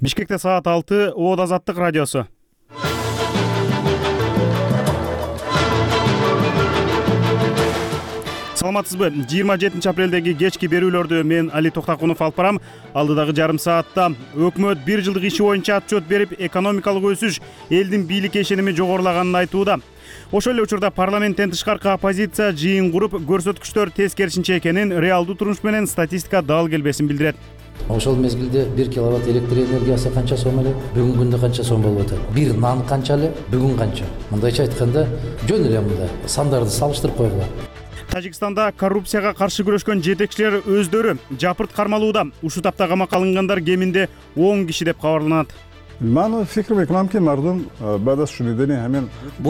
Бишкекте саат 6, Оод Азаттык радиосу. Саламатсызбы? 27-апрелдеги кечки берүүлөрдү мен Али Токтакунов алып барам. Алдыдагы жарым саатта өкмөт 1 жылдык иши боюнча отчет берип, экономикалык өсүш элдин бийликке ишеними жогорулаганын айтууда. Ошол эле учурда парламенттен тышкаркы оппозиция жыйын куруп, көрсөткүчтөр тескерисинче экенин, реалдуу турмуш менен статистика дал келбесин билдирет. Ошол мезгилде 1 киловатт электр энергиясы канча сом эле, бүгүнкү күндө канча сом болуп атат? Бир нан канча эле, бүгүн канча? Мындайча айтканда, жөн эле мында сандарды салыштырып койгула. Тажикстанда коррупцияга каршы күрөшкөн жетекчилер өздөрү жапырт кармалууда. Ушул тапта камакка алынгандар кеминде 10 киши деп кабарланат. Бул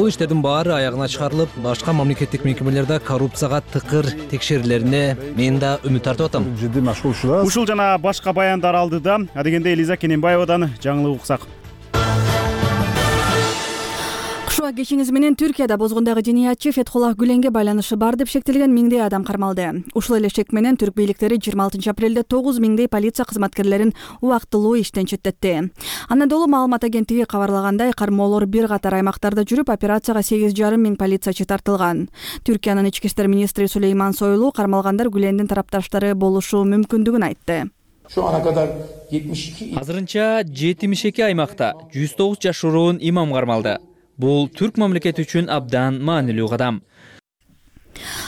иштердин баары аягына чыгарылып, башка мамлекеттик мекемелерде коррупцияга тыкыр текшерүүлөрүнө мен да үмүт тартып атам. Ушул жана башка баяндар алдыда. Адегенде Элиза Кененбаевадан жаңылык уксак. Кушуа кечиңиз менен Түркияда бозгундагы жиниятчы Фетхуллах Гүленге байланышы бар деп шектелген миңдей адам кармалды. Ушул эле шек менен түрк бийликтери 26-апрелде 9 миңдей полиция кызматкерлерин убактылуу иштен четтетти. Анадолу маалымат агенттиги кабарлагандай, кармоолор бир катар аймактарда жүрүп, операцияга 8,5 миң полициячы тартылган. Түркиянын ички иштер министри Сулейман Сойлу кармалгандар Гүлендин тарапташтары болушу мүмкүндүгүн айтты. Азырынча 72 аймакта 109 жашыруун имам кармалды. Бул түрк мамлекети үчүн абдан маанилүү кадам.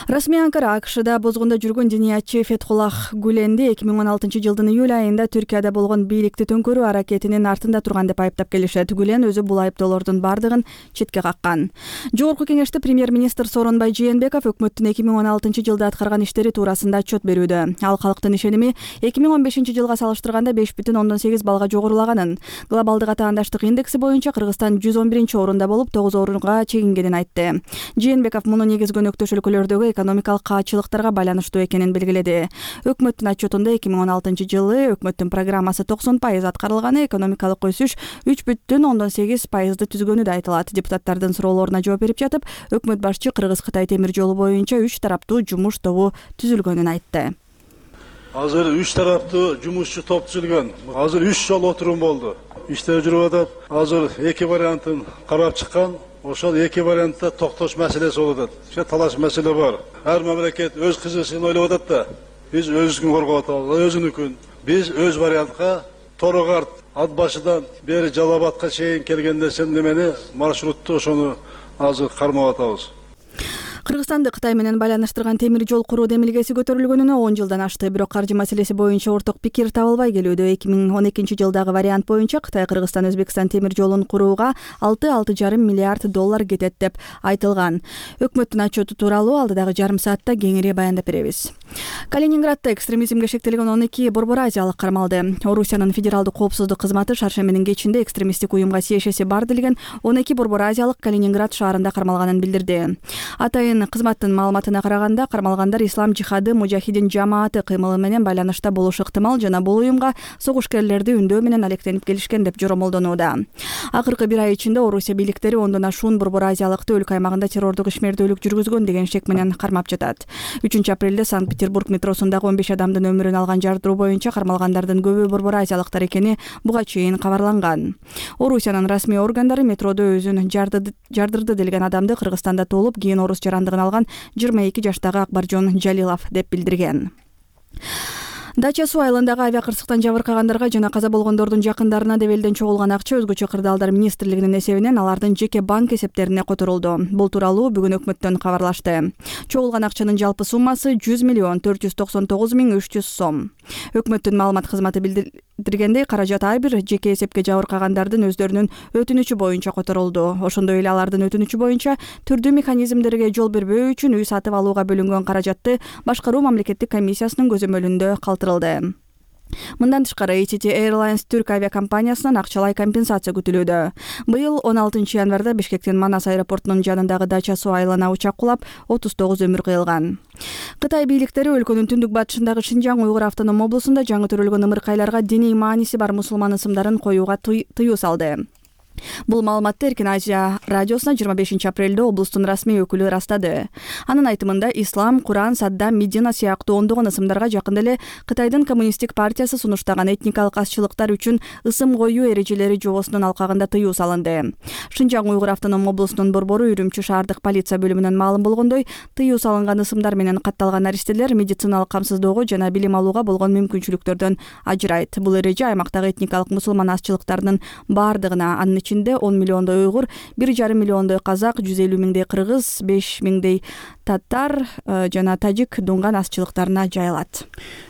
Расмий Анкара АКШда бозгунда жүргөн жиниятчы Фетхуллах Гүленди 2016 жылдын июль айында Түркияда болгон бийликти төңкөрүү аракетинин артында турган деп айыптап келишет. Гүлен өзү бул айыптоолордун бардыгын четке каккан. Жогорку кеңеште премьер-министр Сооронбай Жээнбеков өкмөттүн 2016 жылда аткарган иштери туурасында отчет берүүдө. Ал калктын ишеними 2015 жылга салыштырганда 5,8 балга жогорулаганын, глобалдык атаандаштык индекси боюнча Кыргызстан 111-орунда болуп, 9 орунга чегингенин айтты. Жээнбеков муну негизги өнөктөш өлкөлөрдөгү экономикалык каачылыктарга байланыштуу экенин белгиледи. Өкмөттүн отчетунда 2016 жылы өкмөттүн программасы 90% аткарылганы, экономикалык өсүш 3,8%ды түзгөнү да айтылат. Депутаттардын суроолоруна жооп берип жатып, өкмөт башчы Кыргыз-Кытай темир жолу боюнча 3 тараптуу жумуш тобу түзүлгөнүн айтты. Азыр 3 тараптуу жумушчу топ түзүлгөн. Азыр 3 жолу отурум болду. Иштер жүрүп атат. Азыр 2 вариантын карап чыккан. Ошол 2 вариантта токтош маселеси болуп атат. Талаш маселе бар. Ар мамлекет өз кызысын ойлоп атат да. Биз өзүбүздүн коргоп атабыз, өзүнүкүн. Биз өз вариантка Торогорт ат башыдан бери Жалал-Абадка чейин келгенде сен немени маршрутту ошону азыр кармап атабыз. Кыргызстанды Кытай менен байланыштырган темир жол куруу демилгеси көтөрүлгөнүнө 10 жылдан ашты. Бирок каржы маселеси боюнча орток пикир табылбай келүүдө. 2012 жылдагы вариант боюнча Кытай Кыргызстан-Өзбекстан темир жолун курууга 6,5 миллиард доллар кетет деп айтылган. Өкмөттүн отчету тууралуу алдыдагы жарым саатта кеңири баяндап беребиз. Калининградда экстремизмге шектелген 12 борбор азиялык кармалды. Орусиянын федералдык коопсуздук кызматы шаршембинин кечинде экстремисттик уюмга тиешеси бар делген 12 борбор азиялык Калининград шаарында кармалганын билдирди. Атайын кызматтын маалыматына караганда, кармалгандар Ислам жихады мужахидин жамааты кыймылы менен байланышта болушу ыктымал жана бул уюмга согушкерлерди үндөө менен алектенип келишкен деп жоромолдонууда. Акыркы бир ай ичинде Орусия бийликтери ондон ашуун борбор азиялыкты өлкө аймагында террордук ишмердүүлүк жүргүзгөн деген шек менен кармап жатат. 3-апрелде Санкт-Петербург метросундагы 15 адамдын өмүрүн алган жардыруу боюнча кармалгандардын көбү борбор азиялыктар экени буга чейин кабарланган. Орусиянын расмий органдары метродо өзүн жардырды делген адамды Кыргызстанда толуп, кийин орус жарандыгын алган 22 жаштагы Акбаржон Жалилов деп билдирген. Дача суу айылындагы авиакырсыктан жабыркагандарга жана каза болгондордун жакындарына деп элден чогулган акча өзгөчө кырдаалдар министрлигинин эсебинен алардын жеке банк эсептерине которулду. Бул тууралуу бүгүн өкмөттөн кабарлашты. Чогулган акчанын жалпы суммасы 100,499,300 сом. Өкмөттүн маалымат кызматы билдиргендей, каражат ар бир жеке эсепке жабыркагандардын өздөрүнүн өтүнүчү боюнча которулду. Ошондой эле алардын өтүнүчү боюнча түрдүү механизмдерге жол бербөө үчүн үй сатып алууга бөлүнгөн каражатты башкаруу мамлекеттик комиссиясынын көзөмөлүндө калтырылды. Мындан тышкары ITT Airlines түрк авиакомпаниясынан акчалай компенсация күтүлүүдө. Быйыл 16 январда Бишкектин Манас аэропортунун жанындагы Дача суу айылына учак кулап, 39 өмүр кыйылган. Кытай бийликтери өлкөнүн түндүк батышындагы Шинжаң Уйгур автоном облусунда жаңы төрөлгөн ымыркайларга диний мааниси бар мусулман ысымдарын коюуга тыюу салды. Бул маалыматты Эркин Азия радиосуна 25 апрелде облустун расмий өкүлү ырастады. Анын айтымында Ислам, Куран, Саддам, Медина сыяктуу ондогон ысымдарга жакында эле Кытайдын коммунисттик партиясы сунуштаган этникалык азчылыктар үчүн ысым коюу эрежелери жобосунун алкагында тыюу салынды. Шынжаң Уйгур автоном облусунун борбору Үрүмчү шаардык полиция бөлүмүнөн маалым болгондой, тыюу салынган ысымдар менен катталган наристелер медициналык камсыздоого жана билим алууга болгон мүмкүнчүлүктөрдөн ажырайт. Бул эреже аймактагы этникалык мусулман азчылыктарынын бардыгына, анын ичинде 10 миллиондой уйгур, 1,5 миллиондой казак, 150 миңдей кыргыз, 5 миңдей татар жана тажик дунган азчылыктарына жайылат.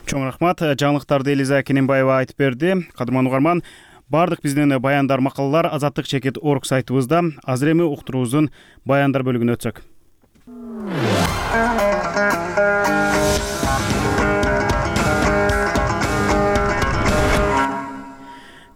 Чоң рахмат. Жаңылыктарды Элиза Кененбаева айтып берди. Кадырман угарман, бардык биздин баяндар, макалалар Азаттык чекит орг сайтыбызда. Азыр эми уктуруубуздун баяндар бөлүгүнө өтсөк.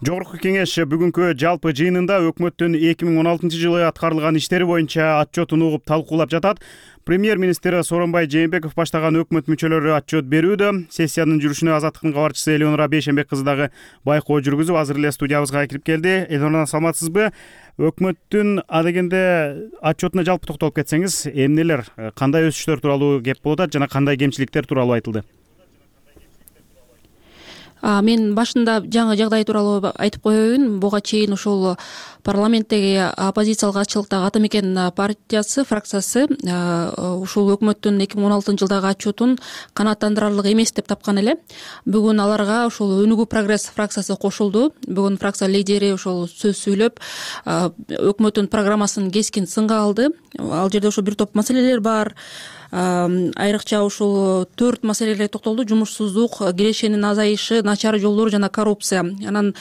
Жогорку кеңеш бүгүнкү жалпы жыйынында өкмөттүн 2016-жылы аткарылган иштери боюнча отчетун угуп талкуулап жатат. Премьер-министр Сооронбай Жээнбеков баштаган өкмөт мүчөлөрү отчет берүүдө. Сессиянын жүрүшүнө Азаттыктын кабарчысы Элеонора Бейшенбек кызы дагы байкоо жүргүзүп, азыр эле студиябызга кирип келди. Элеонора, саламатсызбы? Өкмөттүн адегенде отчетуна жалпы токтолуп кетсеңиз, эмнелер, кандай өсүштөр тууралуу кеп болуп атат жана кандай кемчиликтер тууралуу айтылды? Мен башында жаңы жагдай тууралуу айтып коеюн. Буга чейин ушул парламенттеги оппозициялык азчылыктагы Ата Мекен партиясы фракциясы ушул өкмөттүн 2016-жылдагы отчетун канааттандырарлык эмес деп тапкан эле. Бүгүн аларга ушул Өнүгүү прогресс фракциясы кошулду. Бүгүн фракция лидери ушул сөз сүйлөп, өкмөттүн программасын кескин сынга алды. Ал жерде ошо бир топ маселелер бар. Айрыкча ушул 4 маселеге токтолду: жумушсуздук, кирешенин азайышы, начар жолдор жана коррупция. Анан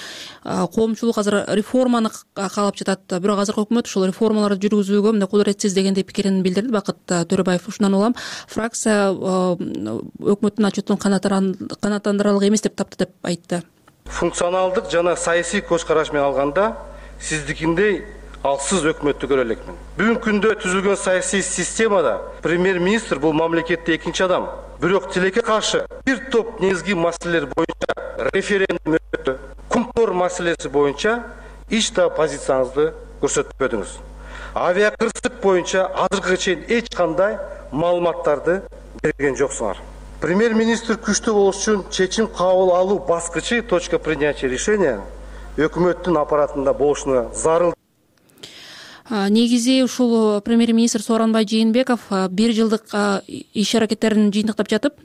коомчулук азыр реформаны каалап жатат. Бирок азыркы өкмөт ушул реформаларды жүргүзүүгө мындай кудуретсиз дегендей пикирин билдирди Бакыт Төрөбаев. Ушундан улам фракция өкмөттүн отчетун канааттандырарлык эмес деп тапты деп айтты. Функционалдык жана саясий көз караш менен алганда сиздикиндей алсыз өкмөттү көрө элекмин. Бүгүнкү күндө түзүлгөн саясий системада премьер-министр бул мамлекетте экинчи адам. Бирок тилекке каршы бир топ негизги маселелер боюнча референдум өттү. Кумтор маселеси боюнча эч да позицияңызды көрсөтпөдүңүз. Авиакырсык боюнча азыркыга чейин эч кандай маалыматтарды берген жоксуңар. Премьер-министр күчтүү болуш үчүн чечим кабыл алуу баскычы, точка принятия решения өкмөттүн аппаратында болушуна зарыл. Негизи ушул премьер-министр Сооронбай Жээнбеков бир жылдык иш аракеттерин жыйынтыктап жатып,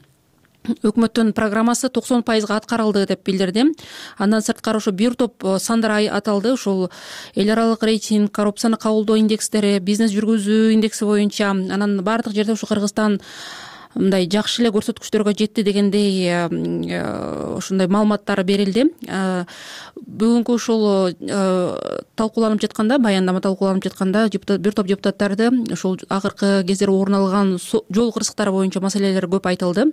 өкмөттүн программасы 90% аткарылды деп билдирди. Андан сырткары ошо бир топ сандар аталды. Ушул эл аралык рейтинг, коррупцияны кабылдоо индекстери, бизнес жүргүзүү индекси боюнча, анан бардык жерде ушу Кыргызстан мындай жакшы эле көрсөткүчтөргө жетти дегендей ушундай маалыматтар берилди. Бүгүнкү ушул талкууланып жатканда, баяндама талкууланып жатканда бир топ депутаттарды ушул акыркы кездер орун алган жол кырсыктары боюнча маселелер көп айтылды.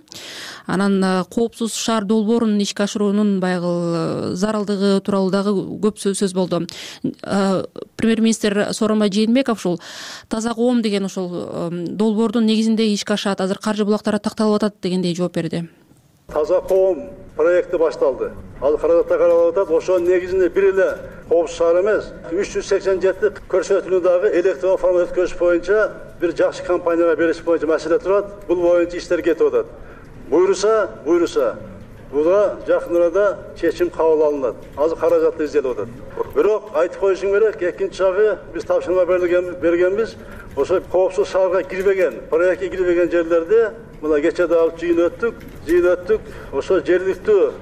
Анан коопсуз шаар долбоорун ишке ашыруунун баягы зарылдыгы тууралуу дагы көп сөз болду. Премьер-министр Сооронбай Жээнбеков ушул таза коом деген ушул долбоордун негизинде ишке ашат, азыр каржы булактары такталып атат дегендей жооп берди. Таза коом проекти башталды. Ал каражатта каралып атат. Ошонун негизинде бир эле коопсуз шаар эмес, 387 көрсөтүүлүдөгү электрон форма өткөзүш боюнча бир жакшы компанияга бериш боюнча маселе турат. Бул боюнча иштер кетип атат. Буйруса буга жакын арада чечим кабыл алынат. Азыр каражатты изделип атат. Бирок айтып коюшум керек, экинчи жагы биз тапшырма бергенбиз. Ошо коопсуз шаарга кирбеген, проектке кирбеген жерлерде мына кече да алып жыйын өттүк. Ошо жергиликтүү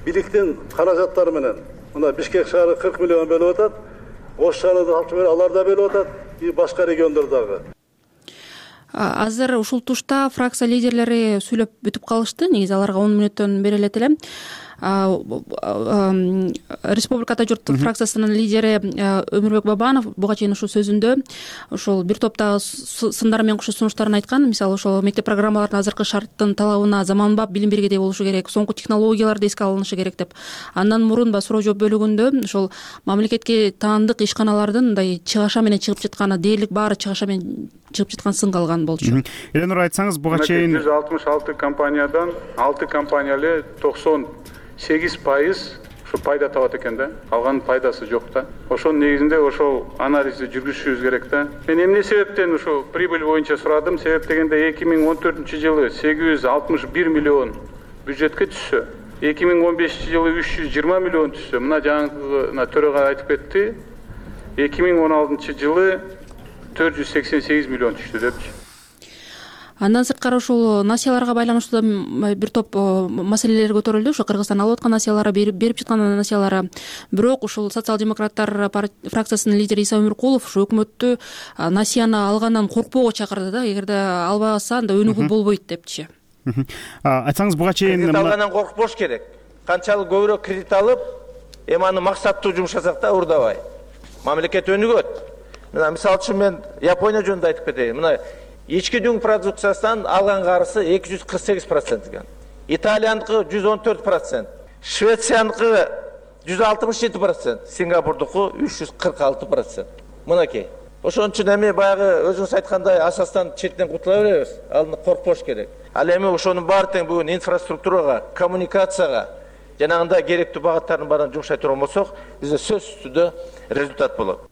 бийликтин каражаттары менен мына Бишкек шаары 40 миллион бөлүп атат. Ош шаарында тапшырма алар да бөлүп атат, башка региондордагы. Азыр ушул тушта фракция лидерлери сүйлөп бүтүп калышты. Негизи аларга 10 мүнөттөн берилет эле. Республикада журт фракциясынын лидери Өмүрбек Бабанов буга чейин ушул сөзүндө ушул бир топта сындар менен кошо сунуштарын айткан. Мисалы ошол мектеп программаларынын азыркы шарттын талабына заманбап билим бергедей болушу керек, соңку технологияларды эске алынышы керек деп. Андан мурун суроо жооп бөлүгүндө ошол мамлекетке таандык ишканалардын мындай чыгаша менен чыгып жатканы, дээрлик баары чыгаша менен чыгып жаткан сынга алган болчу. Эленур, айтсаңыз, буга чейин 166 компаниядан 6 компания эле 98% ушу пайда табат экен да. Калган пайдасы жок да. Ошонун негизинде ошол анализди жүргүзүшүбүз керек да. Мен эмне себептен ушу прибыль боюнча сурадым? Себеп дегенде 2014-жылы 861 миллион бюджетке түшсө, 2015-жылы 320 миллион түшсө, мына жаңы төрага айтып кетти. 2016-жылы 488 миллион түштү депчи. Андан сырткары ушул насияларга байланыштуу бир топ маселелер көтөрүлдү. Ошо Кыргызстан алып аткан насиялары, берип жаткан насиялары. Бирок ушул социал-демократтар фракциясынын лидери Иса Өмүркулов ушу өкмөттү насияны алгандан коркпоого чакырды да. Эгерде албаса анда өнүгүү болбойт депчи. Айтсаңыз буга чейин кредит алгандан коркпош керек. Канчалык көбүрөөк кредит алып, эми аны максаттуу жумшасак да урдабай. Мамлекет өнүгөт. Мына мисалы үчүн мен Япония жөнүндө айтып кетейин. Мына ички дүң продукциясынан алган карысы 248% экен. Италияныкы 114%, Швецияныкы 167%, Сингапурдуку 346%. Мынакей. Ошон үчүн эми баягы өзүңүз айткандай асастан четтен кутула беребиз. Алны коркпош керек. Ал эми ошонун баары тең бүгүн инфраструктурага, коммуникацияга жанагындай керектүү багыттардын баарын жумшай турган болсок, бизде сөзсүз түрдө результат болот.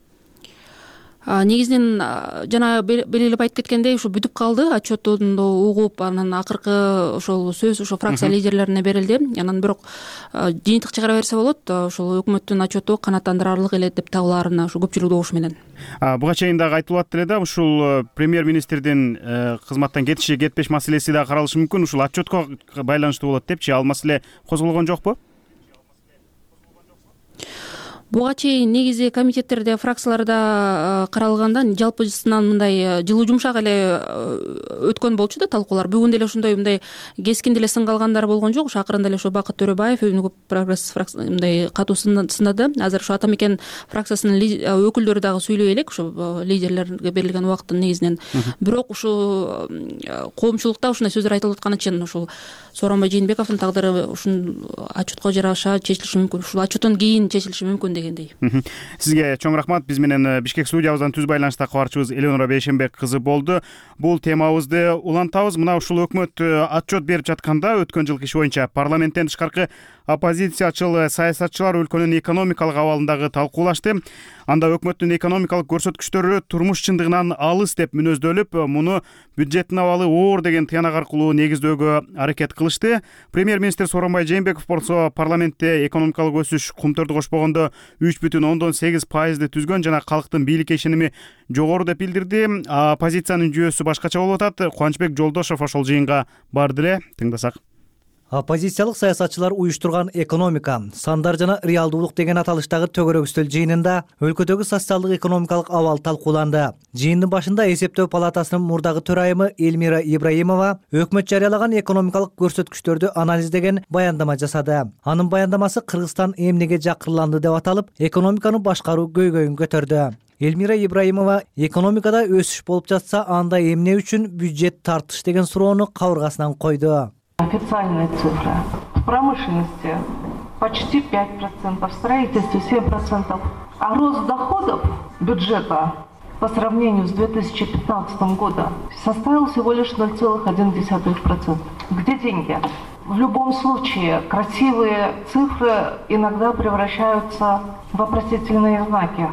Негизинен жана белгилеп айтып кеткендей, ушу бүтүп калды, отчеттун угуп, анан акыркы ошол сөз ошо фракция лидерлерине берилди. Анан бирок жыйынтык чыгара берсе болот, ошол өкмөттүн отчету канааттандырарлык эле деп табылаарына ушу көпчүлүк добуш менен. Буга чейин дагы айтылып эле да, ушул премьер-министрдин кызматтан кетиши, кетпеш маселеси да каралышы мүмкүн. Ушул отчетко байланыштуу болот депчи, ал маселе козголгон жокпу? Буга чейин негизи комитеттерде, фракцияларда каралганда жалпысынан мындай жылуу жумшак эле өткөн болчу да талкуулар. Бүгүн деле ошондой мындай кескин деле сын калгандар болгон жок. Акырында эле ошо Бакыт Төрөбаев Өнүгүү прогресс фракциясы мындай катуу сынады. Азыр ошо Ата Мекен фракциясынын өкүлдөрү дагы сүйлөй элек, ошо лидерлерге берилген убакыттын негизинен. Бирок ушу коомчулукта ушундай сөздөр айтылып аткан үчүн ушул Сооронбай Жээнбековдун тагдыры ушул отчетко жараша чечилиши мүмкүн. Ушул отчеттон кийин чечилиши мүмкүн дегендей. Сизге чоң рахмат. Биз менен Бишкек студиябыздан түз байланышта кабарчыбыз Элеонора Бейшенбек кызы болду. Бул темабызды улантабыз. Мына ушул өкмөт отчет берип жатканда өткөн жылкы иш боюнча парламенттен тышкаркы оппозициячыл саясатчылар өлкөнүн экономикалык абалындагы талкуулашты. Анда өкмөттүн экономикалык көрсөткүчтөрү турмуш чындыгынан алыс деп мүнөздөлүп, муну бюджеттин абалы оор деген тыянак аркылуу негиздөөгө аракет кылышты. Премьер-министр Сооронбай Жээнбеков болсо парламентте экономикалык өсүш кумтөрдү кошпогондо 3,8% түзгөн жана калктын бийликке ишеними жогору деп билдирди. Оппозициянын жүйөсү башкача болуп атат. Кубанычбек Жолдошов ошол жыйынга барды эле. Тыңдасак. Оппозициялык саясатчылар уюштурган экономика, сандар жана реалдуулук деген аталыштагы төгөрөк үстөл жыйынында өлкөдөгү социалдык экономикалык абал талкууланды. Жыйындын башында эсептөө палатасынын мурдагы төрайымы Эльмира Ибраимова өкмөт жарыялаган экономикалык көрсөткүчтөрдү анализдеген баяндама жасады. Анын баяндамасы Кыргызстан эмнеге жакырланды деп аталып, экономиканы башкаруу көйгөйүн көтөрдү. Эльмира Ибраимова экономикада өсүш болуп жатса, анда эмне үчүн бюджет тартыш деген суроону кабыргасынан койду. Официальная цифра. В промышленности почти 5%, в строительстве 7%, а рост доходов бюджета по сравнению с 2015 годом составил всего лишь 0,1%. Где деньги? В любом случае, красивые цифры иногда превращаются в вопросительные знаки.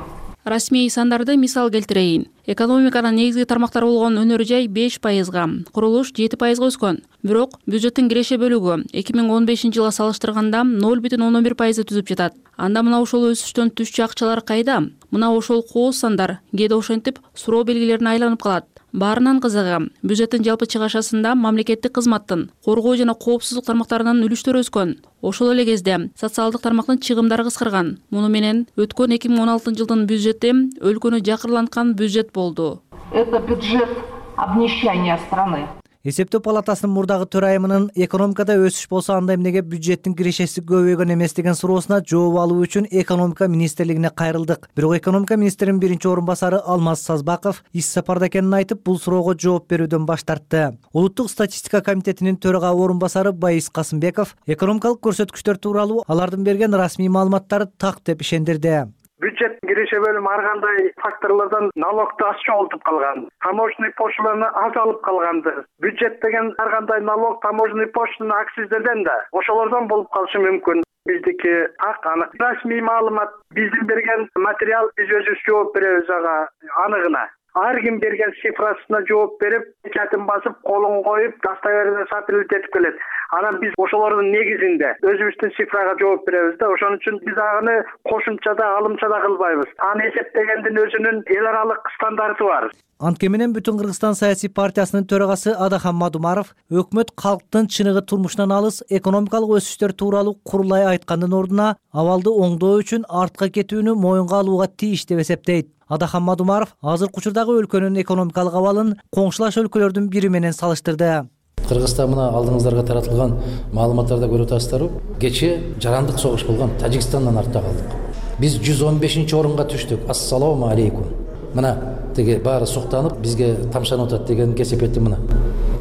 Расмий сандарды мисал келтирейин. Экономиканын негизги тармактары болгон өнөр жай 5%, курулуш 7% өскөн. Бирок бюджеттин киреше бөлүгү 2015 жылга салыштырганда 0,11% түзүп жатат. Анда мына ошол өсүштөн түшчү акчалар кайда? Мына ошол кооз сандар кээде ошентип суроо белгилерине айланып калат. Баарынан кызыгы, бюджеттин жалпы чыгашасында мамлекеттик кызматтын, коргоо жана коопсуздук тармактарынын үлүштөрү өскөн. Ошол эле кезде социалдык тармактын чыгымдары кыскарган. Муну менен өткөн 2016 жылдын бюджети өлкөнү жакырланткан бюджет болду. Это бюджет обнищания страны. Эсептөө палатасынын мурдагы төрайымынын экономикада өсүш болсо анда эмнеге бюджеттин кирешеси көбөйгөн эмес деген суроосуна жооп алуу үчүн экономика министрлигине кайрылдык. Бирок экономика министринин биринчи орун басары Алмаз Сазбаков иш сапарда экенин айтып, бул суроого жооп берүүдөн баш тартты. Улуттук статистика комитетинин төрага орун басары Байис Касымбеков экономикалык көрсөткүчтөр тууралуу алардын берген расмий маалыматтары так деп ишендирди. Бюджет киреше бөлүмү ар кандай факторлордон налогду аз чогултуп калган. Таможенный пошлиналарды аз алып калганды. Бюджет деген ар кандай налог, таможенный пошлина, акциздерден да ошолордон болуп калышы мүмкүн. Биздики так анык. Расмий маалымат, биздин берген материал биз өзүбүз жооп беребиз ага аныгына. Ар ким берген цифрасына жооп берип, печатын басып, колун коюп, достоверно сапилет этип келет. Анан биз ошолордун негизинде өзүбүздүн цифрага жооп беребиз да. Ошон үчүн биз аны кошумчада, алымчада кылбайбыз. Аны эсептегендин өзүнүн эл аралык стандарты бар. Анткени менен Бүтүн Кыргызстан саясий партиясынын төрагасы Адахан Мадумаров өкмөт калктын чыныгы турмуштан алыс экономикалык өсүштөр тууралуу курулай айткандын ордуна абалды оңдоо үчүн артка кетүүнү моюнга алууга тийиш деп эсептейт. Адахан Мадумаров азыркы учурдагы өлкөнүн экономикалык абалын коңшулаш өлкөлөрдүн бири менен салыштырды. Кыргызстан мына алдыңыздарга таратылган маалыматтарда көрүп атасыздарбы? Кечээ жарандык согуш болгон Тажикстандан артта калдык. Биз 115-орунга түштүк. Ассалому алейкум. Мына теге баары суктанып бизге тамшанып атат деген кесепети мына.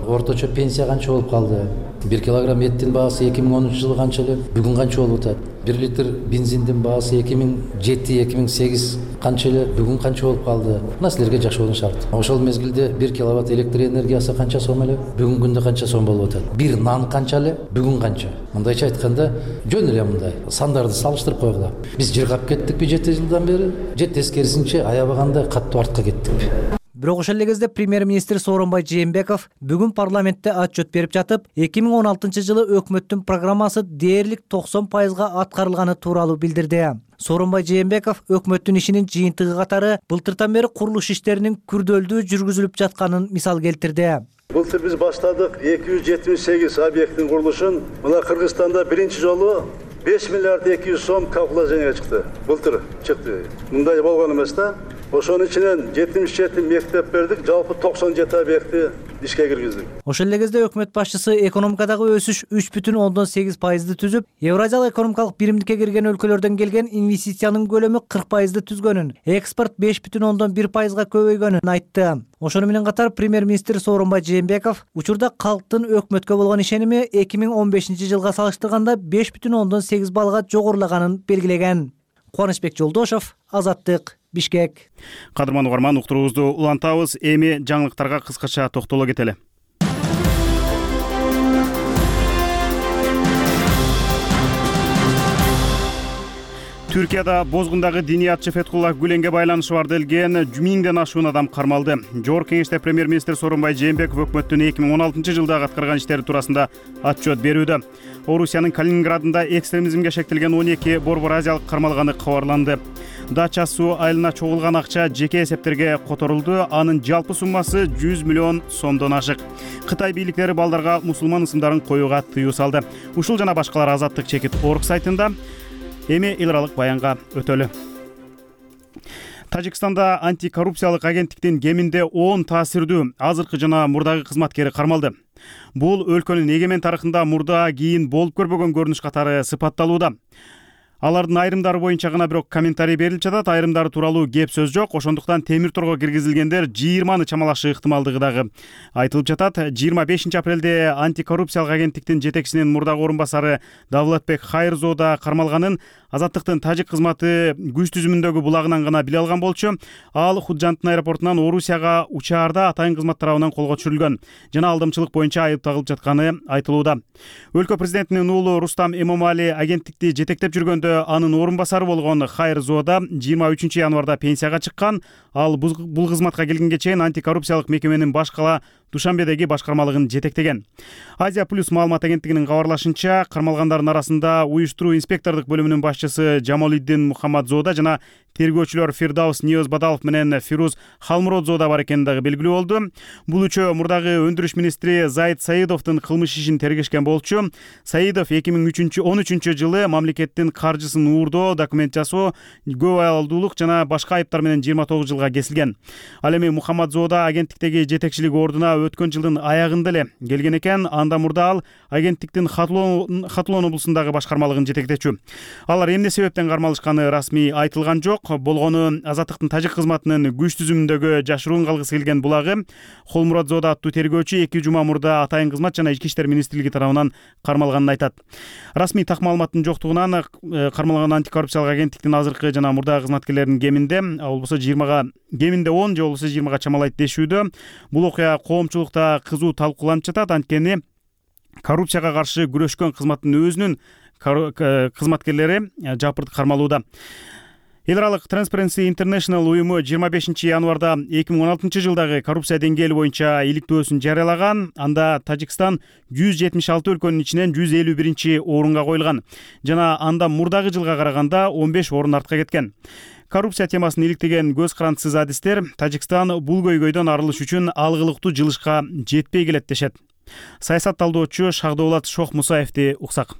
Орточо пенсия канча болуп калды? 1 килограмм эттин баасы 2010-жылы канча эле? Бүгүн канча болуп атат? 1 литр бензиндин баасы 2007-2008 канча эле? Бүгүн канча болуп калды? Мына силерге жашоонун шарты. Ошол мезгилде 1 киловатт электр энергиясы канча сом эле? Бүгүн күндө канча сом болуп атат? Бир нан канча эле? Бүгүн канча? Мындайча айтканда, жөн эле мындай сандарды салыштырып койгула. Биз жыргап кеттикпи 7 жылдан бери? Же тескерисинче аябаганда катуу артка кеттикпи? Бирок ошол эле кезде премьер-министр Сооронбай Жээнбеков бүгүн парламентте отчет берип жатып, 2016-жылы өкмөттүн программасы дээрлик 90% аткарылганы тууралуу билдирди. Сооронбай Жээнбеков өкмөттүн ишинин жыйынтыгы катары былтыртан бери курулуш иштеринин күрдөлдүү жүргүзүлүп жатканын мисал келтирди. Былтыр биз баштадык 278 объекттин курулушун. Мына Кыргызстанда биринчи жолу 5 миллиард 200 сом калкуляцияга чыкты. Былтыр чыкты. Мындай болгон эмес да. Ошонун ичинен 77 мектеп бердик, жалпы 97 объекти ишке киргиздик. Ошол эле кезде өкмөт башчысы экономикадагы өсүш 3,8% түзүп, Евразиялык экономикалык биримдикке кирген өлкөлөрдөн келген инвестициянын көлөмү 40% түзгөнүн, экспорт 5,1%га көбөйгөнүн айтты. Ошону менен катар премьер-министр Сооронбай Жээнбеков учурда калктын өкмөткө болгон ишеними 2015-жылга салыштырганда 5,8 баллга жогорулаганын белгилеген. Кубанычбек Жолдошов, Азаттык, Бишкек. Кадырман угарман, уктуруубузду улантабыз. Эми жаңылыктарга кыскача токтоло кетели. Түркияда бозгундагы диниятчы Фетхуллах Гүленге байланышы бар делген 1000ден ашуун адам кармалды. Жогорку кеңеште премьер-министр Сооронбай Жээнбеков өкмөттүн 2016-жылдагы аткарган иштери туурасында отчет берүүдө. Орусиянын Калининградында экстремизмге шектелген 12 борбор азиялык кармалганы кабарланды. Дача суу айылына чогулган акча жеке эсептерге которулду. Анын жалпы суммасы 100 миллион сомдон ашык. Кытай бийликтери балдарга мусулман ысымдарын коюуга тыюу салды. Ушул жана башкалар Азаттык чекит.org сайтында. Эми эл аралык баянга өтөлү. Тажикстанда антикоррупциялык агенттиктин кеминде 10 таасирдүү азыркы жана мурдагы кызматкери кармалды. Бул өлкөнүн эгемен тарыхында мурда кийин болуп көрбөгөн көрүнүш катары сыпатталууда. Алардын айрымдары боюнча гана бирок комментарий берилип жатат, айрымдары тууралуу кеп сөз жок. Ошондуктан темир торго киргизилгендер 20-ны чамалашы ыктымалдыгы дагы айтылып жатат. 25-апрелде антикоррупциялык агенттиктин жетекчисинин мурдагы орун басары Давлатбек Хайырзода кармалганын Азаттыктын тажик кызматы күч түзүмүндөгү булагынан гана биле алган болчу. Ал Худжанттын аэропортунан Орусияга учаарда атайын кызмат тарабынан колго түшүрүлгөн жана алдамчылык боюнча айып тагылып жатканы айтылууда. Өлкө президентинин уулу Рустам Эмомали агенттикти жетектеп жүргөндө анын орун басары болгон Хайырзода 23 январда пенсияга чыккан. Ал бул кызматка келгенге чейин антикоррупциялык мекеменин баш кала Душанбедеги башкармалыгын жетектеген. Азия плюс маалымат агенттигинин кабарлашынча, кармалгандардын арасында уюштуруу инспектордук бөлүмүнүн башчысы Жамалиддин Мухаммадзода жана тергөөчүлөр Фирдаус Ниёз Бадалов менен Фируз Халмуродзода бар экени дагы белгилүү болду. Бул үчөө мурдагы өндүрүш министри Заид Саидовдун кылмыш ишин тергешкен болчу. Саидов 2013 жылы мамлекеттин каржысын уурдоо, документ жасоо, көп аялдуулук жана башка айыптар менен 29 жылга кесилген. Ал эми Мухаммадзода агенттиктеги жетекчилик ордуна өткөн жылдын аягында эле келген экен. Анда мурда ал агенттиктин Хатулон облусундагы башкармалыгын жетектечү. Алар эмне себептен кармалышканы расмий айтылган жок. Болгону Азаттыктын тажик кызматынын күч түзүмүндөгү жашыруун калгысы келген булагы Холмуратзода аттуу тергөөчү 2 жума мурда атайын кызмат жана ички иштер министрлиги тарабынан кармалганын айтат. Расмий так маалыматтын жоктугунан кармалган антикоррупциялык агенттиктин азыркы жана мурдагы кызматкерлеринин кеминде болбосо 20-га кеминде 10 же болбосо 20-га чамалайт дешүүдө. Бул окуя коомчулукта кызуу талкууланып жатат. Анткени коррупцияга каршы күрөшкөн кызматтын өзүнүн кызматкерлери жапырт кармалууда. Эл аралык Transparency International уюму 25 январда 2016 жылдагы коррупция деңгээли боюнча иликтөөсүн жарыялаган. Анда Тажикстан 176 өлкөнүн ичинен 151 орунга коюлган жана анда мурдагы жылга караганда 15 орун артка кеткен. Коррупция темасын иликтеген көз карандысыз адистер Тажикстан бул көйгөйдөн арылыш үчүн алгылыктуу жылышка жетпей келет дешет. Саясат талдоочу Шагдоолат Шохмусаевди уксак.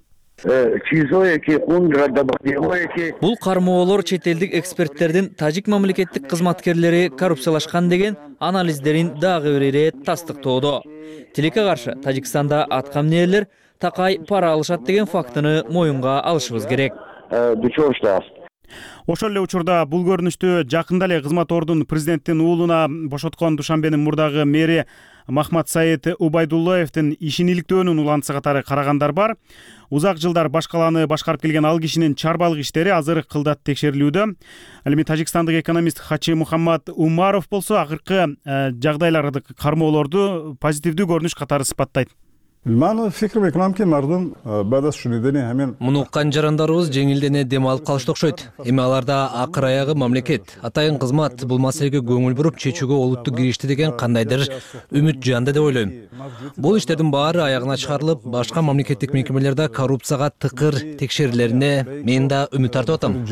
Бул кармоолор чет элдик эксперттердин тажик мамлекеттик кызматкерлери коррупциялашкан деген анализдерин дагы бир ирет тастыктоодо. Тилекке каршы Тажикстанда аткамнерлер такай пара алышат деген фактыны моюнга алышыбыз керек. Ошол эле учурда бул көрүнүштү жакында эле кызмат ордун президенттин уулуна бошоткон Душанбенин мурдагы мэри Махмад Саид Убайдуллаевдин ишин иликтөөнүн улантысы катары карагандар бар. Узак жылдар баш калааны башкарып келген ал кишинин чарбалык иштери азыр кылдат текшерилүүдө. Ал эми тажикстандык экономист Хачи Мухаммад Умаров болсо акыркы жагдайларды кармоолорду позитивдүү көрүнүш катары сыпаттайт. Муну уккан жарандарыбыз жеңилдене дем алып калышты окшойт. Эми аларда акыр аягы мамлекет, атайын кызмат бул маселеге көңүл буруп чечүүгө олуттуу киришти деген кандайдыр үмүт жанды деп ойлойм. Бул иштердин баары аягына чыгарылып, башка мамлекеттик мекемелерде коррупцияга тыкыр текшерүүлөрүнө мен да үмүт тартып атам.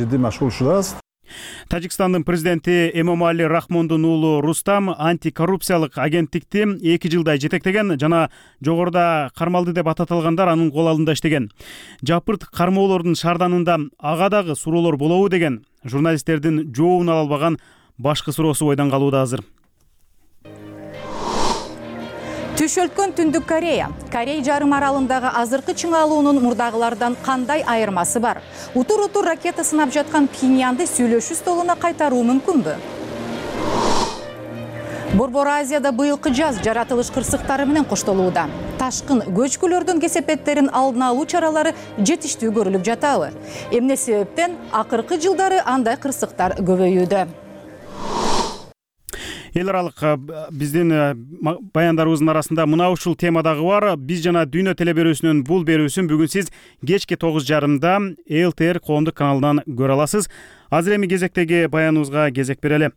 Тажикстандын президенти Эмомали Рахмондун уулу Рустам антикоррупциялык агенттикти 2 жылдай жетектеген жана жогоруда кармалды деп ататылгандар анын кол алдында иштеген. Жапырт кармоолордун шаарданында ага дагы суроолор болобу деген журналисттердин жообун ала албаган башкы суроосу ойдон калууда азыр. Түшөлткөн Түндүк Корея. Корей жарым аралындагы азыркы чыңалуунун мурдагылардан кандай айырмасы бар? Утур-утур ракета сынап жаткан Пхеньянды сүйлөшүү столуна кайтаруу мүмкүнбү? Борбор Азияда быйылкы жаз жаратылыш кырсыктары менен коштолууда. Ташкын көчкүлөрдүн кесепеттерин алдын алуу чаралары жетиштүү көрүлүп жатабы? Эмне себептен акыркы жылдары андай кырсыктар көбөйүүдө? Эл аралык биздин баяндарыбыздын арасында мына ушул тема дагы бар. Биз жана Дүйнө телеберүүсүнүн бул берүүсүн бүгүн сиз кечки 9:30 ЛТР коомдук каналынан көрө аласыз. Азыр эми кезектеги баяныбызга кезек берели.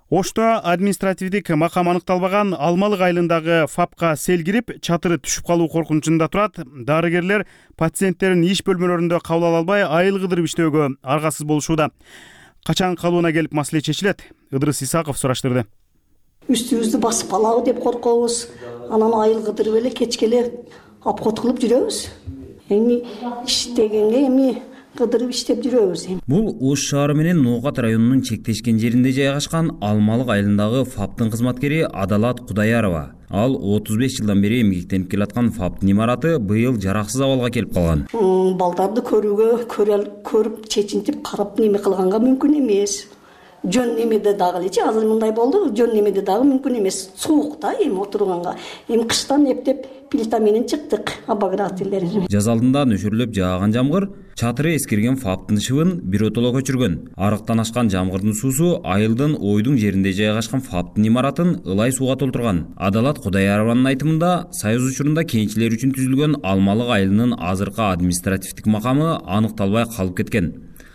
Ошто административдик макам аныкталбаган Алмалык айылындагы ФАПка сел кирип, чатыры түшүп калуу коркунучунда турат. Дарыгерлер пациенттерин иш бөлмөлөрүндө кабыл ала албай, айыл кыдырып иштөөгө аргасыз болушууда. Качан калыбына келип маселе чечилет? Ыдырыс Исаков сураштырды. Үстүбүздү басып алабы деп коркобуз. Анан айыл кыдырып эле кечке эле обход кылып жүрөбүз. Эми иштегенге эми кыдырып иштеп жүрөбүз. Бул Ош шаары менен Ноокат районунун чектешкен жеринде жайгашкан Алмалык айылындагы ФАПтын кызматкери Адалат Кудаярова. Ал 35 жылдан бери эмгектенип келаткан ФАПтын имараты быйыл жараксыз абалга келип калган. Балдарды көрүп чечинтип карап неме кылганга мүмкүн эмес. Жөн немеде дагы элечи азыр мындай болду. Жөн немеде дагы мүмкүн эмес. Суук да эми отурганга. Эми кыштан эптеп плита менен чыктык обогревательдер. Жаз алдында нөшөрлөп жааган жамгыр чатыры эскирген ФАПтын шыбын биротоло көчүргөн. Арыктан ашкан жамгырдын суусу айылдын ойдуң жеринде жайгашкан ФАПтын имаратын ылай сууга толтурган. Адалат Кудаярованын айтымында, Союз учурунда кенчилер үчүн түзүлгөн Алмалык айылынын азыркы административдик макамы аныкталбай калып кеткен.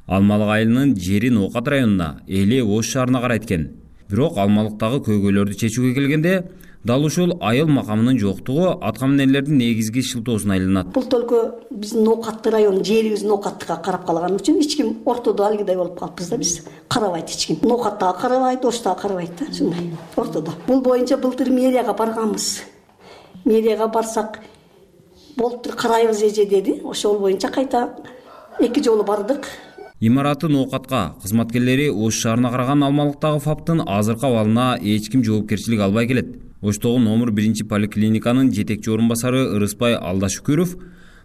Алмалык айылынын жери Ноокат районуна, эли Ош шаарына карайт экен. Бирок Алмалыктагы көйгөйлөрдү чечүүгө келгенде, дал ушул айыл макамынын жоктугу аткамнерлердин негизги шылтоосуна айланат. Бул только биздин Ноокат району жерибиз Ноокаттыкка карап калган үчүн эч ким ортодо алгыдай болуп калыппыз да биз. Карабайт эч ким. Ноокаттагы карабайт, Оштагы карабайт да, ушундай. Ортодо. Бул боюнча былтыр мэрияга барганбыз. Мэрияга барсак, болуптур карайбыз эже деди. Ошол боюнча кайта 2 жолу бардык. Имараты Ноокатка кызматкерлери Ош шаарына караган Алмалыктагы ФАПтын азыркы абалына эч ким жоопкерчилик албай келет. Оштогу номер 1 поликлиниканын жетекчи орун басары Ырыспай Алдашүкүров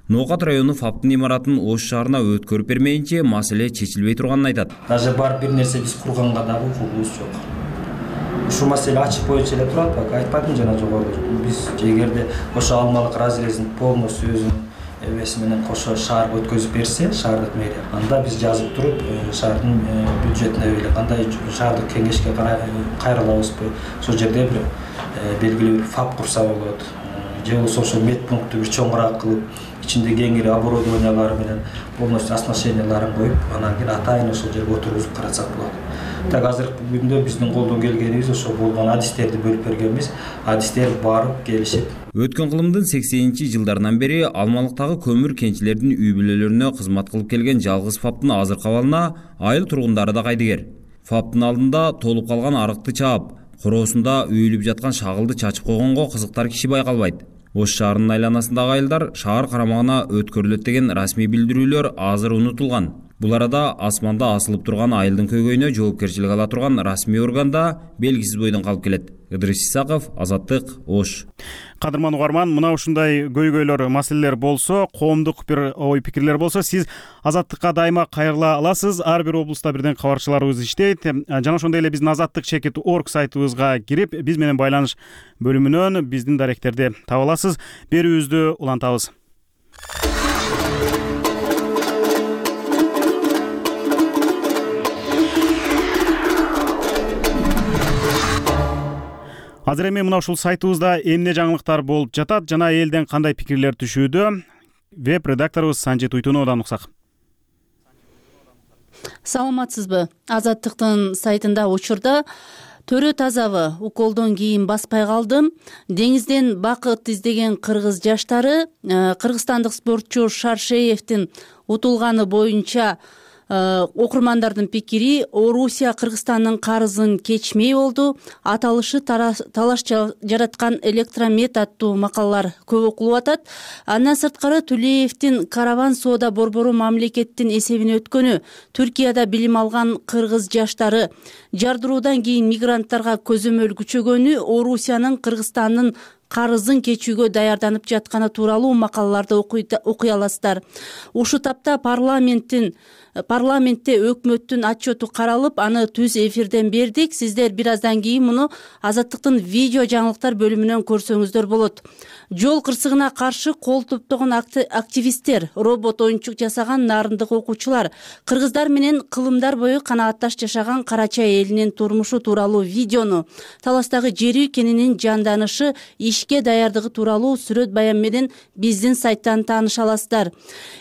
Ноокат району ФАПтын имаратын Ош шаарына өткөрүп бермейинче маселе чечилбей турганын айтат. Даже бар бир нерсе биз курганга дагы укугубуз жок. Ушул маселе ачык боюнча эле турат, бак айтпадым жана жогоруда. Биз эгерде ошо Алмалык разрезин полностью өзүнүн эбеси менен кошо шаарга өткөзүп берсе, шаардык мэрия, анда биз жазып туруп, шаардын бюджетине эле кандай шаардык кеңешке кайрылабызбы, ошол жерде бир белгилүү бир ФАП курса болот. же болбосо ошо медпунктты бир чоңураак кылып, ичинде кеңири оборудованиялары менен полностью оснащенияларын коюп, анан кийин атайын ошол жерге отургузуп каратсак болот. Так азыркы күндө биздин колдон келгенибиз ошо болгон адистерди бөлүп бергенбиз. Адистер барып келишип. Өткөн кылымдын 80-жылдарынан бери Алмалыктагы көмүр кенчилердин үй бүлөлөрүнө кызмат кылып келген жалгыз ФАПтын азыркы абалына айыл тургундары да кайдыгер. ФАПтын алдында толуп калган арыкты чаап, короосунда үйүлүп жаткан шагылды чачып койгонго кызыктар киши байкалбайт. Ош шаарынын айланасындагы айылдар шаар карамагына өткөрүлөт деген расмий билдирүүлөр азыр унутулган. Бул арада асманда асылып турган айылдын көйгөйүнө жоопкерчилик ала турган расмий органда белгисиз бойдон калып келет. Ыдырыс Исаков, Азаттык, Ош. Кадырман угарман, мына ушундай көйгөйлөр, маселелер болсо, коомдук бир ой пикирлер болсо, сиз Азаттыкка дайыма кайрыла аласыз. Ар бир облуста бирден кабарчыларыбыз иштейт. Жана ошондой эле биздин azattik.org сайтыбызга кирип, биз менен байланыш бөлүмүнөн биздин даректерди таба аласыз. Берүүбүздү улантабыз. Азыр эми мына ушул сайтыбызда эмне жаңылыктар болуп жатат жана элден кандай пикирлер түшүүдө? Веб редакторубуз Санжит Уйтуновдон уксак. Саламатсызбы? Азаттыктын сайтында учурда төрө тазабы уколдон кийин баспай калдым. Деңизден бакыт издеген кыргыз жаштары кыргызстандык спортчу Шаршеевдин утулганы боюнча окурмандардын пикири Орусия Кыргызстандын карызын кечмей болду. Аталышы талаш жараткан электромет аттуу макалалар көп окулуп атат. Андан сырткары Тулеевдин караван соода борбору мамлекеттин эсебине өткөнү, Түркияда билим алган кыргыз жаштары жардыруудан кийин мигранттарга көзөмөл күчөгөнү, Орусиянын Кыргызстандын карызын кечүүгө даярданып жатканы тууралуу макалаларды окуй аласыздар. Ушул тапта парламентте өкмөттүн отчету каралып, аны түз эфирден бердик. Сиздер бир аздан кийин муну Азаттыктын видео жаңылыктар бөлүмүнөн көрсөңүздөр болот. Жол кырсыгына каршы кол топтогон активисттер, робот оюнчук жасаган нарындык окуучулар, кыргыздар менен кылымдар бою канаатташ жашаган Карача элинин турмушу тууралуу видеону, таластагы жер үй кенинин жанданышы, ишке даярдыгы тууралуу сүрөт баян менен биздин сайттан тааныша аласыздар.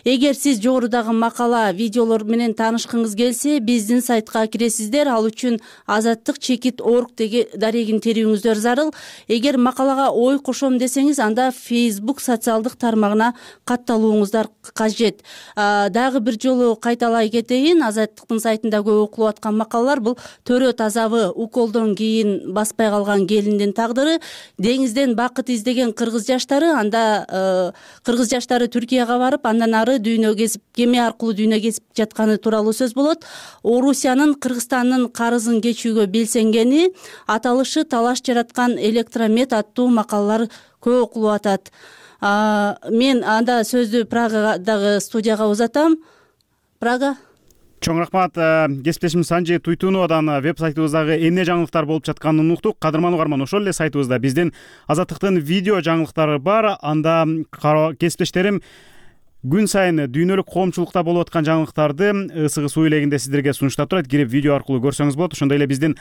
Эгер сиз жогорудагы макала, видеолор менен таанышкыңыз келсе, биздин сайтка киресиздер. Ал үчүн azattik.org дарегин терүүңүздөр зарыл. Эгер макалага ой кошом десеңиз, анда Facebook социалдык тармагына катталууңуздар кажет. Дагы бир жолу кайталай кетейин, Азаттыктын сайтында көп окулуп аткан макалалар бул төрө тазабы уколдон кийин баспай калган келиндин тагдыры, деңизден бакыт издеген кыргыз жаштары, анда кыргыз жаштары Түркияга барып, андан ары дүйнө кезип, кеме аркылуу дүйнө кезип жатканы тууралуу сөз болот. Орусиянын Кыргызстандын карызын кечүүгө белсенгени, аталышы талаш жараткан электромет аттуу макалалар көп окулуп атат. Мен анда сөздү Прагадагы студияга узатам. Прага. Чоң рахмат. Кесиптешим Санжит Уйтуновдон веб сайтыбыздагы эмне жаңылыктар болуп жатканын уктук. Кадырман угарман, ошол эле сайтыбызда биздин Азаттыктын видео жаңылыктары бар. Анда кесиптештерим күн сайын дүйнөлүк коомчулукта болуп аткан жаңылыктарды ысыгы суу илегинде сиздерге сунуштап турат. Кирип видео аркылуу көрсөңүз болот. Ошондой эле биздин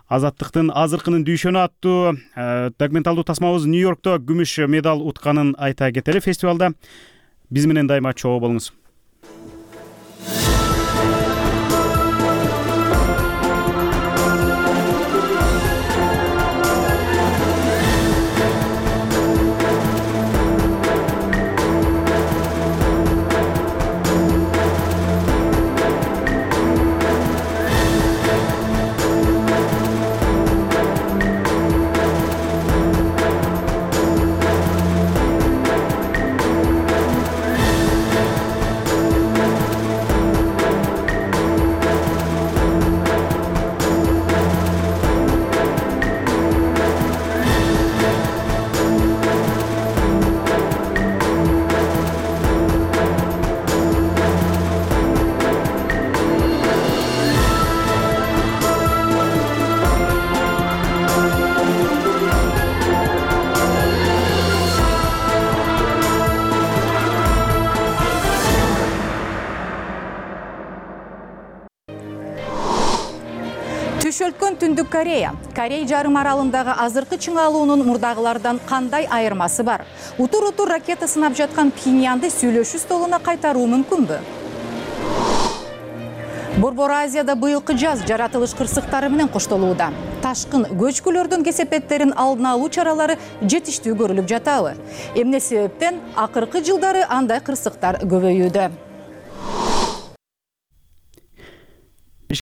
Азаттыктын азыркынын дүйшөнү аттуу документалдуу тасмабыз Нью-Йоркто күмүш медаль утканын айта кетели. Фестивалда биз менен дайыма чогуу болуңуз. Көчөлткөн Түндүк Корея. Корей жарым аралындагы азыркы чыңалуунун мурдагылардан кандай айырмасы бар? Утур-утур ракета сынап жаткан Пхеньянды сүйлөшүү столуна кайтаруу мүмкүнбү? Борбор Азияда быйылкы жаз жаратылыш кырсыктары менен коштолууда. Ташкын көчкүлөрдүн кесепеттерин алдын алуу чаралары жетиштүү көрүлүп жатабы? Эмне себептен акыркы жылдары андай кырсыктар көбөйүүдө?